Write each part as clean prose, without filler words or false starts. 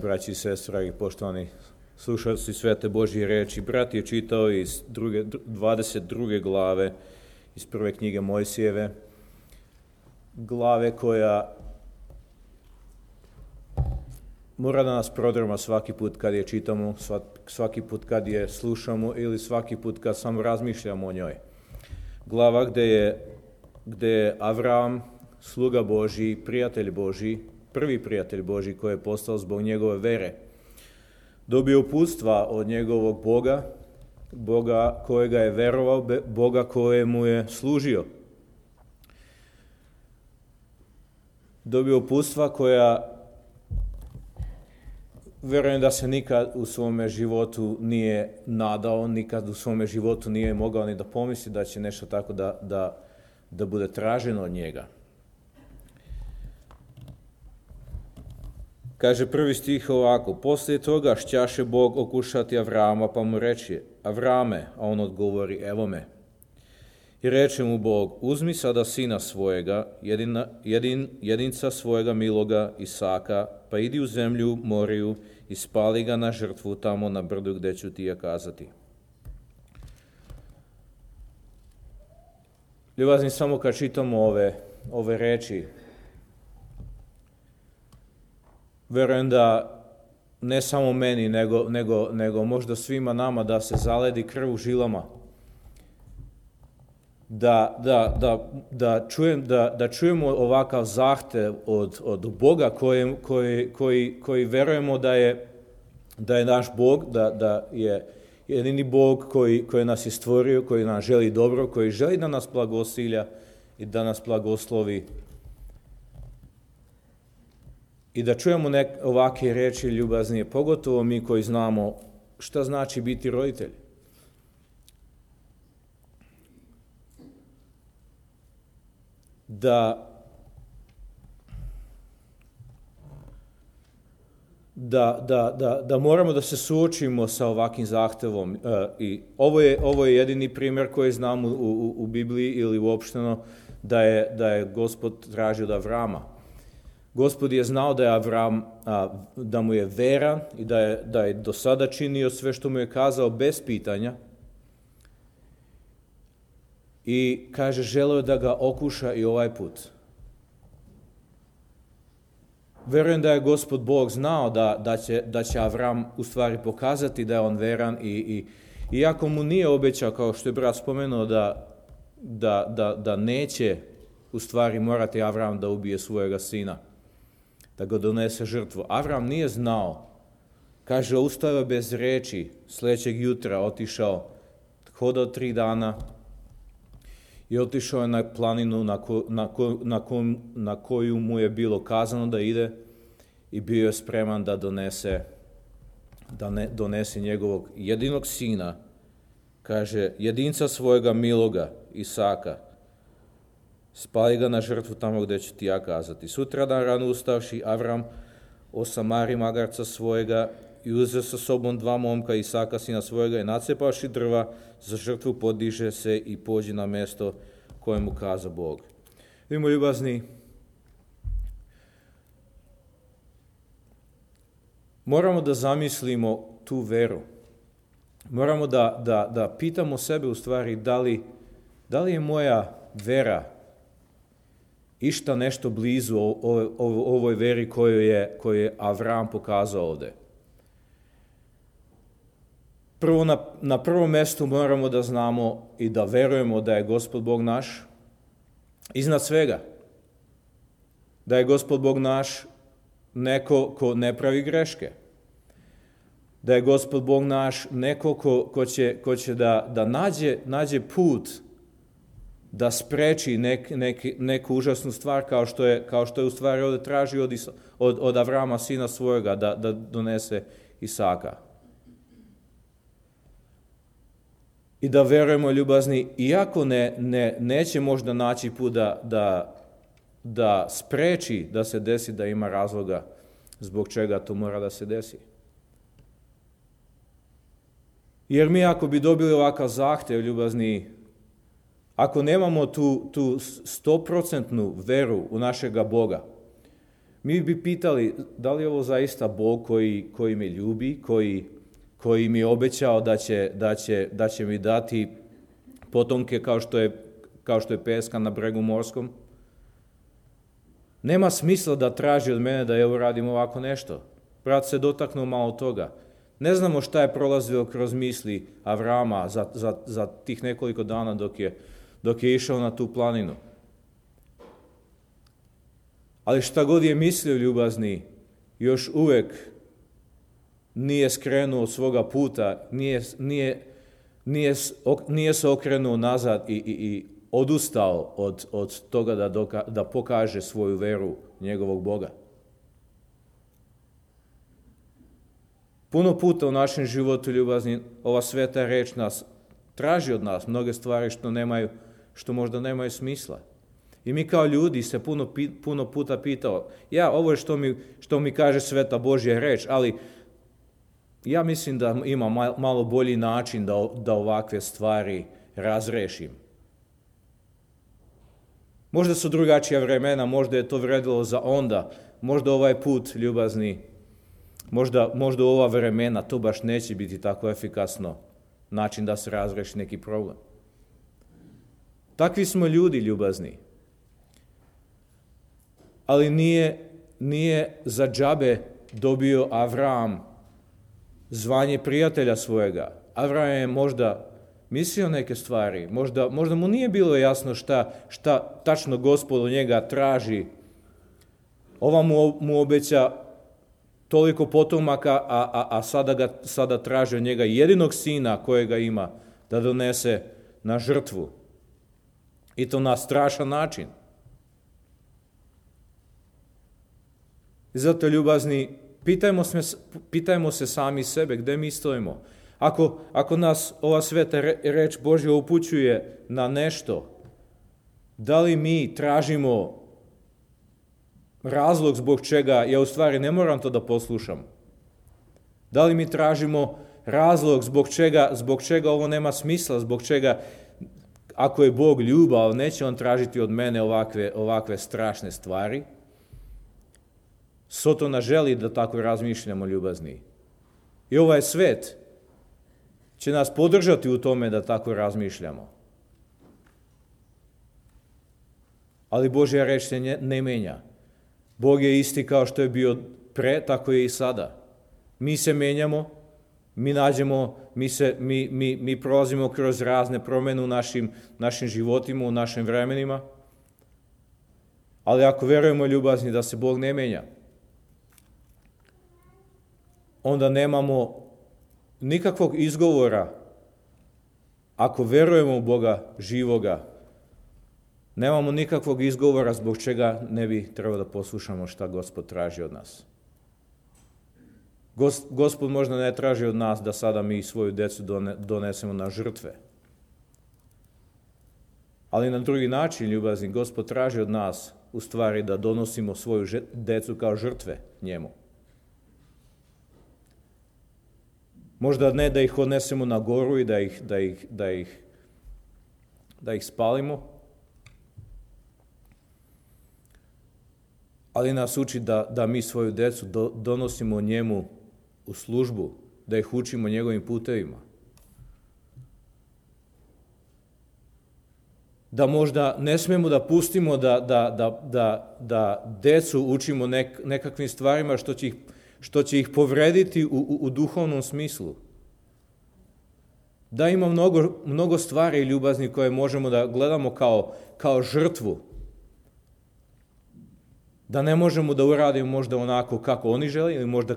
Braći i sestre, dragi poštovani slušalci Svete Božje reči, brat je čitao iz 22. glave iz prve knjige Mojsijeve, glave koja mora da nas prodrma svaki put kad je čitamo, svaki put kad je slušamo ili svaki put kad samo razmišljamo o njoj. Glava gde je Avram, sluga Božji, prijatelj Božji, prvi prijatelj Božji koji je postao zbog njegove vere, dobio uputstva od njegovog Boga kojega je verovao, Boga kojemu je služio. Dobio uputstva koja verujem da se nikad u svome životu nije nadao, nikad u svome životu nije mogao ni da pomisli da će nešto tako da bude traženo od njega. Kaže prvi stih ovako: poslije toga šćaše Bog okušati Avrama, pa mu reče: Avrame, a on odgovori: evo me. I reče mu Bog: uzmi sada sina svojega, jedinca svojega miloga Isaka, pa idi u zemlju Moriju i spali ga na žrtvu tamo na brdu gde ću ti ja kazati. Ljubazni, samo kad čitamo ove reči, verujem da ne samo meni, nego možda svima nama da se zaledi krv u žilama. Da čujemo ovakav zahtev od Boga koji verujemo da je naš Bog, da je jedini Bog koji nas je stvorio, koji nam želi dobro, koji želi da nas blagosilja i da nas blagoslovi. I da čujemo ovakve reči ljubaznije, pogotovo mi koji znamo šta znači biti roditelj. Da moramo da se suočimo sa ovakvim zahtevom. I ovo je jedini primjer koji znamo u Bibliji ili uopšteno da je Gospod tražio od Avrama. Gospod je znao da je Avram, da mu je veran i da je do sada činio sve što mu je kazao bez pitanja. I kaže, želeo da ga okuša i ovaj put. Verujem da je Gospod Bog znao da će Avram u stvari pokazati da je on veran i iako mu nije obećao, kao što je brat spomenuo, da neće u stvari morati Avram da ubije svojega sina, da ga donese žrtvu. Avram nije znao. Kaže, ustao bez reči, sljedećeg jutra otišao, hodao 3 dana i otišao je na planinu na koju mu je bilo kazano da ide i bio je spreman da donese njegovog jedinog sina, kaže, jedinca svojega miloga Isaka, spali ga na žrtvu tamo gde ću ti ja kazati. Sutradan rano ustavši, Avram osamari magarca svojega i uzeo sa sobom 2 momka Isaka, sina svojega, i nacepavši drva za žrtvu podiže se i pođe na mesto koje mu kaza Bog. Vidimo, ljubazni, moramo da zamislimo tu veru. Moramo da pitamo sebe u stvari da li je moja vera išta nešto blizu ovoj veri koju je Avram pokazao ovde. Prvo, na prvom mestu moramo da znamo i da verujemo da je Gospod Bog naš iznad svega. Da je Gospod Bog naš neko ko ne pravi greške. Da je Gospod Bog naš neko ko će da nađe put da spreči neku užasnu stvar kao što je u stvari ovdje traži od Avrama, sina svojega, da donese Isaka. I da verujemo, ljubazni, iako neće možda naći put da spreči da se desi, da ima razloga zbog čega to mora da se desi. Jer mi ako bi dobili ovakav zahtev, ljubazni, ako nemamo tu 100% veru u našega Boga, Mi bi pitali da li je ovo zaista Bog koji me ljubi, koji mi je obećao da će mi dati potomke kao što je peska na bregu morskom. Nema smisla da traži od mene da ja uradim ovako nešto. Brat se dotaknuo malo toga. Ne znamo šta je prolazio kroz misli Avrama za tih nekoliko dana dok je išao na tu planinu. Ali šta god je mislio, ljubazni, još uvek nije skrenuo od svoga puta, nije se okrenuo nazad i odustao od toga da pokaže svoju veru njegovog Boga. Puno puta u našem životu, ljubazni, ova sveta reč nas traži od nas mnoge stvari što možda nemaju smisla. I mi kao ljudi se puno puta pitao, ovo je što mi kaže sveta Božja reč, ali ja mislim da ima malo bolji način da ovakve stvari razrešim. Možda su drugačija vremena, možda je to vredilo za onda, možda ovaj put, ljubazni, možda u ova vremena to baš neće biti tako efikasno način da se razreši neki problem. Takvi smo ljudi, ljubazni. Ali nije za džabe dobio Avram zvanje prijatelja svojega. Avram je možda mislio neke stvari, možda mu nije bilo jasno šta tačno Gospod od njega traži. Ova mu obeća toliko potomaka, a sada traži od njega jedinog sina kojega ima da donese na žrtvu. I to na strašan način. I zato, ljubazni, pitajmo se sami sebe gde mi stojimo. Ako nas ova sveta reč Božja upućuje na nešto, da li mi tražimo razlog zbog čega ja u stvari ne moram to da poslušam? Da li mi tražimo razlog zbog čega ovo nema smisla, zbog čega, ako je Bog ljubav, neće on tražiti od mene ovakve strašne stvari? Sotona želi da tako razmišljamo, ljubazni. I ovaj svet će nas podržati u tome da tako razmišljamo. Ali Božja reč se ne menja. Bog je isti kao što je bio pre, tako je i sada. Mi se menjamo, mi prolazimo kroz razne promene u našim životima, u našim vremenima. Ali ako verujemo, ljubazni, da se Bog ne menja, onda nemamo nikakvog izgovora. Ako verujemo u Boga živoga, nemamo nikakvog izgovora zbog čega ne bi trebalo da poslušamo šta Gospod traži od nas. Gospod možda ne traži od nas da sada mi svoju decu donesemo na žrtve. Ali na drugi način, ljubazni, Gospod traži od nas u stvari da donosimo svoju decu kao žrtve njemu. Možda ne da ih odnesemo na goru i da ih spalimo, ali nas uči da mi svoju decu donosimo njemu u službu, da ih učimo njegovim putevima. Da možda ne smemo da pustimo da decu učimo nekakvim stvarima što će ih povrediti u duhovnom smislu. Da ima mnogo stvari, ljubazni, koje možemo da gledamo kao žrtvu. Da ne možemo da uradimo možda onako kako oni žele ili možda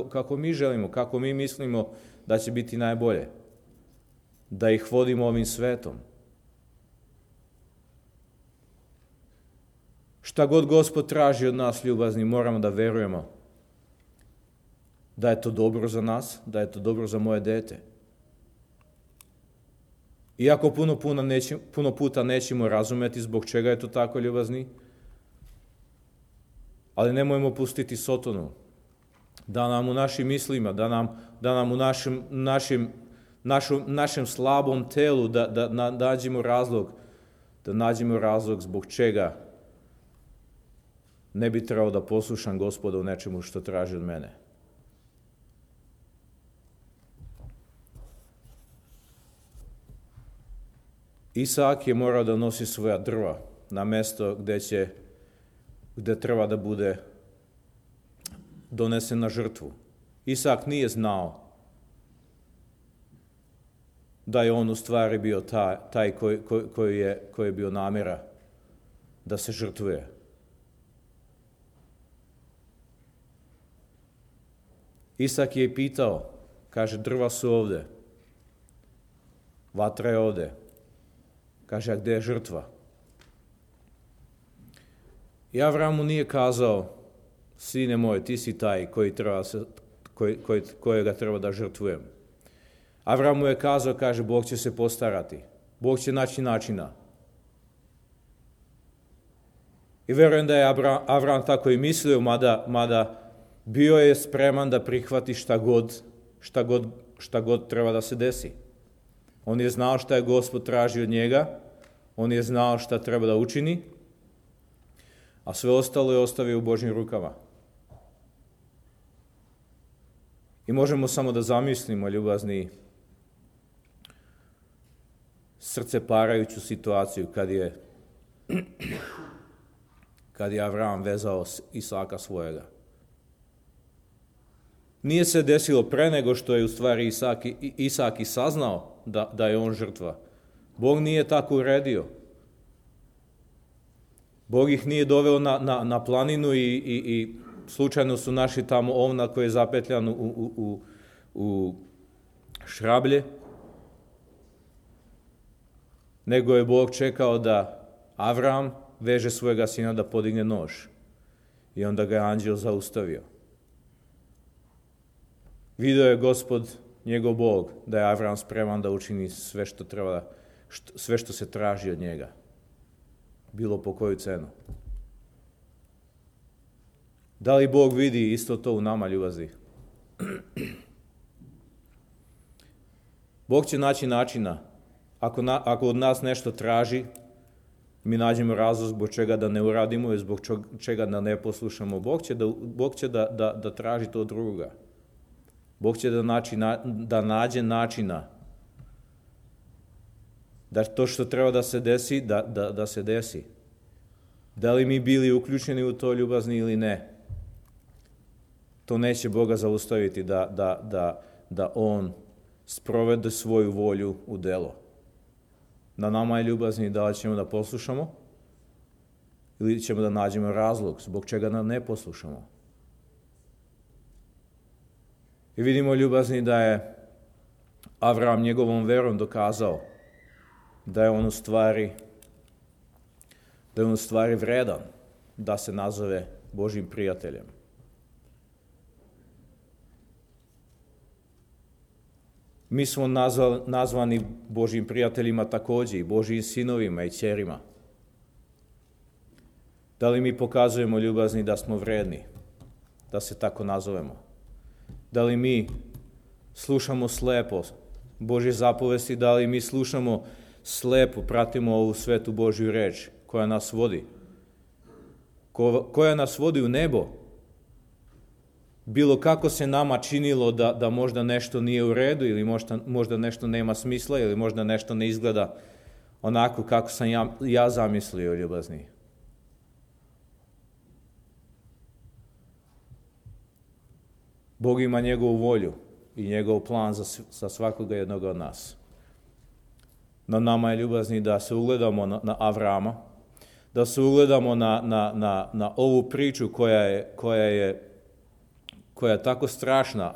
kako mi želimo, kako mi mislimo da će biti najbolje. Da ih vodimo ovim svetom. Šta god Gospod traži od nas, ljubazni, moramo da verujemo da je to dobro za nas, da je to dobro za moje dete. Iako puno puta nećemo razumeti zbog čega je to tako, ljubazni, ali nemojmo pustiti Sotonu da nam u našim mislima, da nam u našem slabom telu da nađemo razlog zbog čega ne bi trebao da poslušam Gospoda u nečemu što traži od mene. Isak je morao da nosi svoja drva na mesto gde treba da bude donesen na žrtvu. Isak nije znao da je on u stvari bio taj koji je bio namjera da se žrtvuje. Isak je pitao, kaže, drva su ovde, vatra je ovde. Kaže, a gde je žrtva? I Avram mu nije kazao, sine moj, ti si taj kojega treba da žrtvujem. Avram mu je kazao, kaže, Bog će se postarati. Bog će naći načina. I verujem da je Avram tako i mislio, mada bio je spreman da prihvati šta god treba da se desi. On je znao šta je Gospod traži od njega, on je znao šta treba da učini, a sve ostalo je ostavio u Božjim rukama. I možemo samo da zamislimo, ljubazni, srce parajuću situaciju kad je Avram vezao Isaka svojega. Nije se desilo pre nego što je u stvari Isak i saznao da je on žrtva. Bog nije tako uredio. Bog ih nije doveo na planinu i slučajno su našli tamo ovna koji je zapetljan u šrablje, nego je Bog čekao da Avram veže svojega sina da podigne nož. I onda ga je anđeo zaustavio. Video je Gospod, njegov Bog, da je Avram spreman da učini sve što se traži od njega. Bilo po koju cenu. Da li Bog vidi isto to u nama, ljubazni? Bog će naći načina. Ako od nas nešto traži, mi nađemo razlog zbog čega da ne uradimo i zbog čega da ne poslušamo. Bog će da traži to od drugoga. Bog će da nađe načina da to što treba da se desi, da se desi. Da li mi bili uključeni u to, ljubazni, ili ne, to neće Boga zaustaviti da On sprovede svoju volju u delo. Na nama je, ljubazni, da li ćemo da poslušamo ili ćemo da nađemo razlog zbog čega da ne poslušamo. I vidimo, ljubazni, da je Avram njegovom verom dokazao da je on u stvari vredan da se nazove Božjim prijateljem. Mi smo nazvani Božjim prijateljima također, i Božjim sinovima i ćerima. Da li mi pokazujemo, ljubazni, da smo vredni, da se tako nazovemo? Da li mi slušamo slepo Božje zapovesti, da li mi slušamo slepo, pratimo ovu svetu Božju reč koja nas vodi? Koja nas vodi u nebo? Bilo kako se nama činilo da možda nešto nije u redu ili možda nešto nema smisla ili možda nešto ne izgleda onako kako sam ja zamislio, ljubazni. Bog ima njegovu volju i njegov plan za svakoga jednoga od nas. Na nama je, ljubazni, da se ugledamo na Avrama, da se ugledamo na ovu priču koja je tako strašna,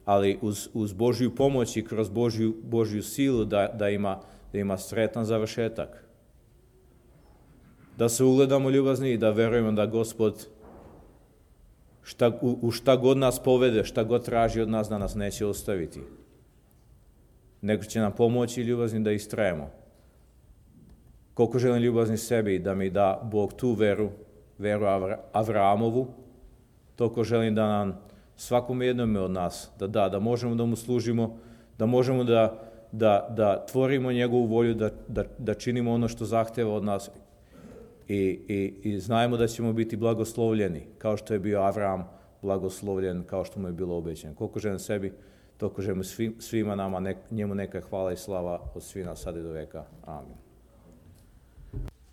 ali uz Božju pomoć i kroz Božju silu da ima sretan završetak. Da se ugledamo, ljubazni, i da verujemo da Gospod u šta god nas povede, šta god traži od nas, da nas neće ostaviti. Nego će nam pomoći, ljubazni, da istrajemo. Koliko želim, ljubazni, sebi da mi da Bog tu veru Avramovu, toliko želim da nam svakom jednome od nas da možemo da mu služimo, da možemo da tvorimo njegovu volju, da činimo ono što zahteva od nas I znajmo da ćemo biti blagoslovljeni, kao što je bio Avram blagoslovljen, kao što mu je bilo obećano. Koliko želim sebi, toliko želim svima nama, njemu neka hvala i slava od svih nas sada i do veka. Amin.